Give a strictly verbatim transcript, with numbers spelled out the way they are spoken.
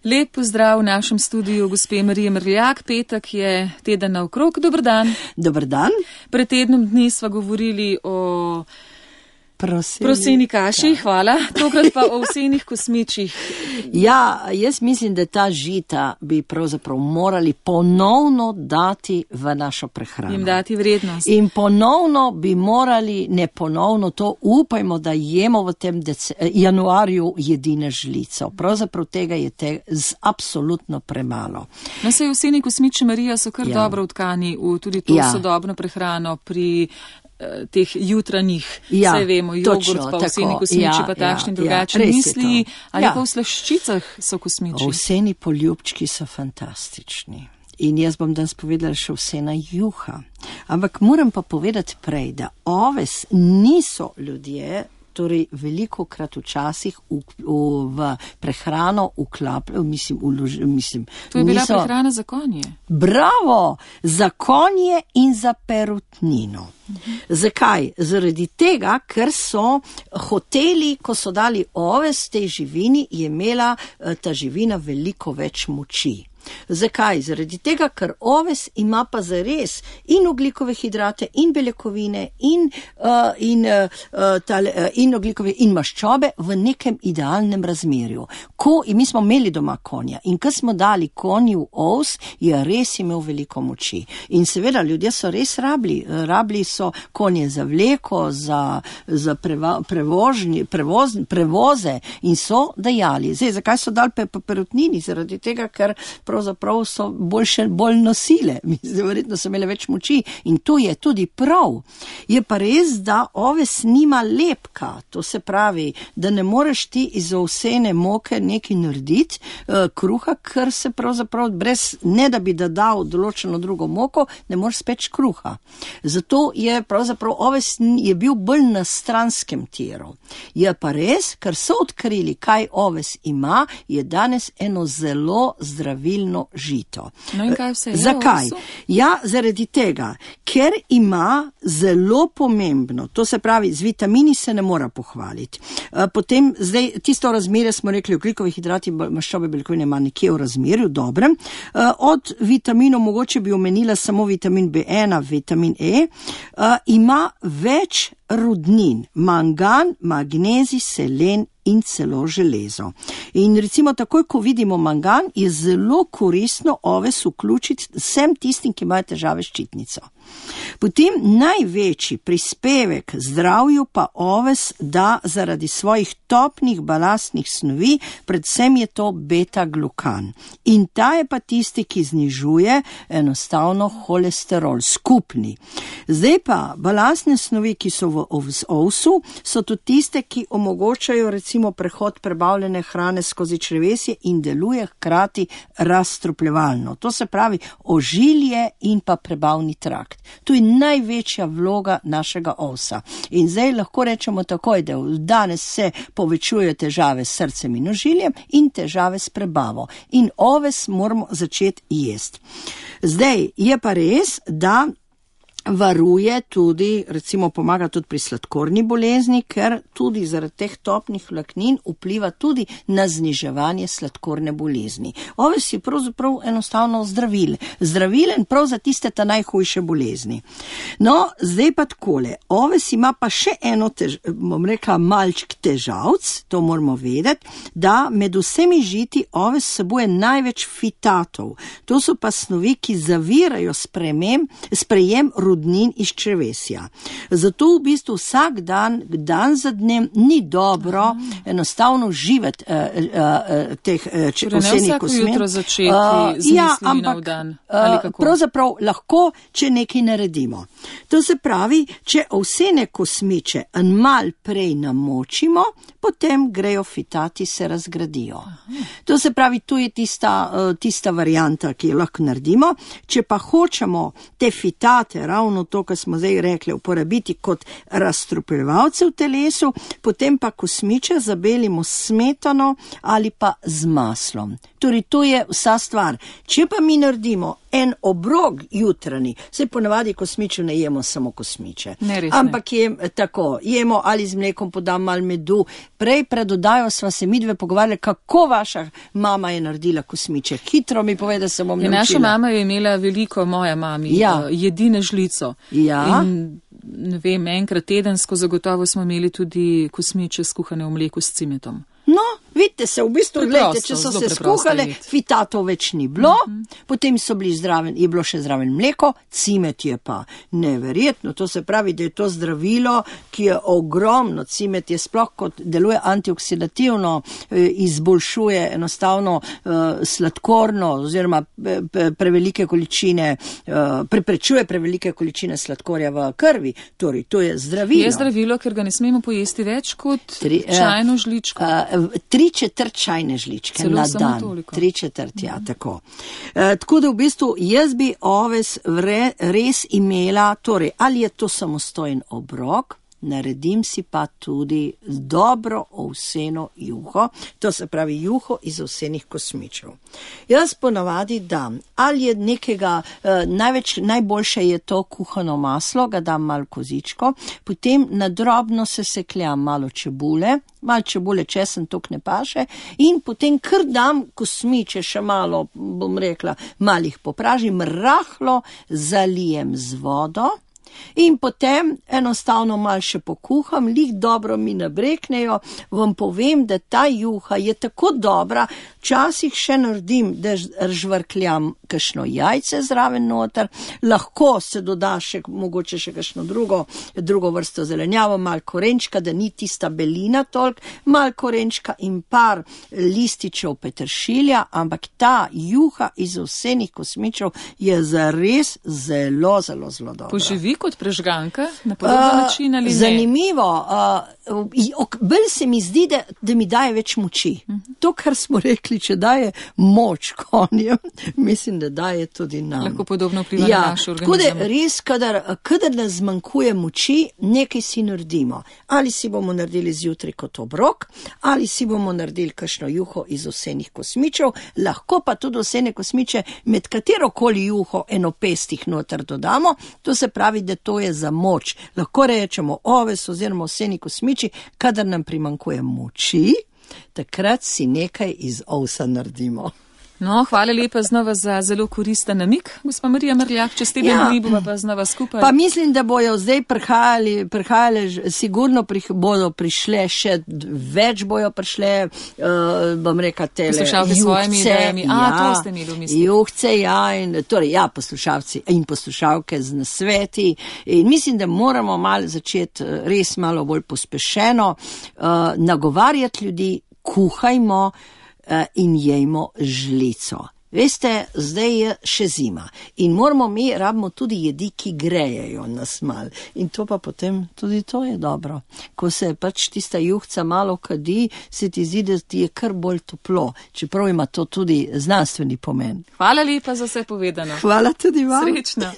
Lep pozdrav v našem studiu gospe Marije Mrljak. Petek je teden naokrog. Dober dan. Dober dan. Pred tednom dni sva govorili o Proseni, proseni kaši, ja. Hvala. Tokrat pa o ovsenih kosmičih. Ja, jaz mislim, da ta žita bi pravzaprav morali ponovno dati v našo prehrano. Jim dati vrednost. In ponovno bi morali, ne ponovno, to upajmo, da jemo v tem dece, januarju jedine žlico. Pravzaprav tega je te z absolutno premalo. No, sej ovseni kosmiči, Marija, so kar ja. dobro vtkani v tudi to ja. sodobno prehrano pri teh jutranjih, ja, vse vemo, jogurt točno, pa ovseni kosmiči, ja, pa takšni ja, drugačni ja, misli, ali ja. pa v slaščicah so kosmiči. Ovseni poljubčki so fantastični. In jaz bom danes povedala še ovsena juha. Ampak moram pa povedati prej, da oves niso ljudje, torej veliko krat včasih v, v, v prehrano vklapljajo, mislim, v, mislim. To je bila niso... prehrana za konje. Bravo! Za konje in za perutnino. Uh-huh. Zakaj? Zaradi tega, ker so hoteli, ko so dali oves tej živini, je imela ta živina veliko več moči. Zakaj? Zaradi tega, ker oves ima pa zares in oglikove hidrate, in beljakovine, in, uh, in, uh, tale, uh, in oglikove in maščobe v nekem idealnem razmerju. Ko, in mi smo imeli doma konja in ko smo dali konju ovs, je res imel veliko moči. In seveda, ljudje so res rabili. Rabili so konje za vleko, za, za preva, prevožni, prevoz, prevoze in so dajali. Zdaj, zakaj so dali pe, pe perutnini? Zaradi tega, ker pravzaprav so boljše, bolj nosile, verjetno so imele več moči in to je tudi prav. Je pa res, da oves nima lepka, to se pravi, da ne moreš ti iz ovsene moke nekaj narediti, uh, kruha, ker se pravzaprav brez, ne da bi da dal določeno drugo moko, ne moreš speč kruha. Zato je pravzaprav oves je bil bolj na stranskem tiru. Je pa res, ker so odkrili, kaj oves ima, je danes eno zelo zdravilno žito. No in kaj vse je? Zakaj? Ja, zaradi tega, ker ima zelo pomembno, to se pravi, z vitamini se ne mora pohvaliti. Potem, zdaj, tisto razmerje smo rekli, oglikovi hidrati, maščobe, beljakovine ima nekje v razmerju, dobrem. Od vitaminov mogoče bi omenila samo vitamin B ena, vitamin E, ima več rudnin, mangan, magnezij, selen in celo železo. In recimo takoj, ko vidimo mangan, je zelo koristno oves vključiti vsem tistim, ki imajo težave s ščitnico. Potem največji prispevek zdravju pa oves da zaradi svojih topnih balastnih snovi, predvsem je to beta-glukan. In ta je pa tisti, ki znižuje enostavno holesterol, skupni. Zdaj pa balastne snovi, ki so v ovsu, so tudi tiste, ki omogočajo recimo prehod prebavljene hrane skozi črevesje in deluje hkrati razstrupljevalno. To se pravi ožilje in pa prebavni trakt. To je največja vloga našega ovsa. In zdaj lahko rečemo takoj, da danes se povečujejo težave s srcem in ožiljem in težave s prebavo. In oves moramo začeti jesti. Zdaj je pa res, da varuje tudi, recimo pomaga tudi pri sladkorni bolezni, ker tudi zaradi teh topnih vlaknin vpliva tudi na zniževanje sladkorne bolezni. Oves je pravzaprav enostavno zdravil. Zdravilen prav za tiste ta najhujše bolezni. No, zdaj pa takole. Oves ima pa še eno, tež, bom rekla, malčk težavc, to moramo vedeti, da med vsemi žiti oves sebuje največ fitatov. To so pa snovi, ki zavirajo sprejem, sprejem rudnin iz črevesja. Zato v bistvu vsak dan, dan za dnem, ni dobro Aha. enostavno živeti uh, uh, teh uh, ovsenih kosmin. Vsako jutro začeti uh, z ja, mislimi na dan. Ali kako? Uh, pravzaprav lahko, če nekaj naredimo. To se pravi, če ovsene kosmiče en mal prej namočimo, potem grejo fitati, se razgradijo. Aha. To se pravi, to je tista, uh, tista varianta, ki jo lahko naredimo. Če pa hočemo te fitate, ravno to, kar smo zdaj rekli, uporabiti kot razstrupljevalce v telesu, potem pa kosmiče zabelimo s smetano ali pa z maslom. Torej, to je vsa stvar. Če pa mi naredimo en obrok jutranji, se ponavadi kosmičev ne jemo samo kosmiče. Ne, res ampak jem, tako, jemo ali z mlekom podam malo medu. Prej pred oddajo sva se midve pogovarjali, kako vaša mama je naredila kosmiče. Hitro mi pove, da se bom naučila. Naša mama je imela veliko, moja mami, ja. jedine žlico. Ja. In, ne vem, enkrat tedensko zagotovo smo imeli tudi kosmiče skuhane v mleku s cimetom. No, vidite se, v bistvu, Preprosto, gledajte, če so zelo se skuhale, jed. fitatov več ni bilo, Mhm. potem so bili zraven, je bilo še zraven mleko, cimet je pa neverjetno, to se pravi, da je to zdravilo, ki je ogromno, cimet je sploh kot deluje antioksidativno, eh, izboljšuje enostavno eh, sladkorno oziroma eh, prevelike količine, eh, preprečuje prevelike količine sladkorja v krvi, torej to je zdravilo. Je zdravilo, ker ga ne smemo pojesti več kot Tri, eh, čajno žličko. Uh, tri četrt čajne žličke Celo na samo dan. toliko. Tri četrt, ja, mm. tako. Uh, tako da v bistvu jaz bi oves vre, res imela, torej, ali je to samostojen obrok, naredim si pa tudi dobro ovseno juho, to se pravi juho iz ovsenih kosmičev. Jaz ponavadi dam, ali je nekega, eh, največ, najboljše je to kuhano maslo, ga dam malo kozičko, potem na drobno se sekljam malo čebule, malo čebule, česen, tok ne paše, in potem kar dam kosmiče, še malo, bom rekla, malih popražim, rahlo zalijem z vodo, in potem enostavno malo še pokuham, lih dobro mi nabreknejo, vam povem, da ta juha je tako dobra, včasih še naredim, da žvrkljam kakšno jajce zraven noter, lahko se doda še mogoče še kakšno drugo, drugo vrsto zelenjavo, malo korenčka, da ni tista belina tolk, malo korenčka in par lističev peteršilja, ampak ta juha iz ovsenih kosmičev je zares zelo, zelo, zelo dobra. Poživi kot prežganka na podoben uh, način ali ne? Zanimivo. Uh, bolj se mi zdi, da, da mi daje več moči. Uh -huh. To, kar smo rekli, če daje moč konjem, mislim, da daje tudi nam. Lahko podobno vpliva ja, na naš organizem. Tako da res, kadar, kadar nas zmanjkuje moči, nekaj si naredimo. Ali si bomo naredili zjutraj kot obrok, ali si bomo naredili kakšno juho iz ovsenih kosmičev, lahko pa tudi ovsene kosmiče med katerokoli juho enopestih noter dodamo, to se pravi, da to je za moč. Lahko rečemo oves oziroma ovseni kosmiči, kadar nam primanjkuje moči, takrat si nekaj iz ovsa naredimo. No, hvala lepa znova za zelo koristen namik, gospa Marija Mrljak, čez teden ja. dni bomo pa znova skupaj. Pa mislim, da bojo zdaj prihajali, prihajali sigurno prih, bodo prišle še več bojo prišle, uh, bom rekla, tele poslušalci svojimi idejami. A, ja, to ste imeli v mislih. Juhce, ja, in, torej, ja, poslušalci in poslušalke z nasveti. In mislim, da moramo malo začeti res malo bolj pospešeno uh, nagovarjati ljudi, kuhajmo in jejmo žlico. Veste, zdaj je še zima in moramo mi, rabimo tudi jedi, ki grejejo nas mal. In to pa potem tudi to je dobro. Ko se pač tista juhca malo kadi, se ti zdi, da ti je kar bolj toplo, čeprav ima to tudi znanstveni pomen. Hvala lepa za vse povedano. Hvala tudi vam. Srečno.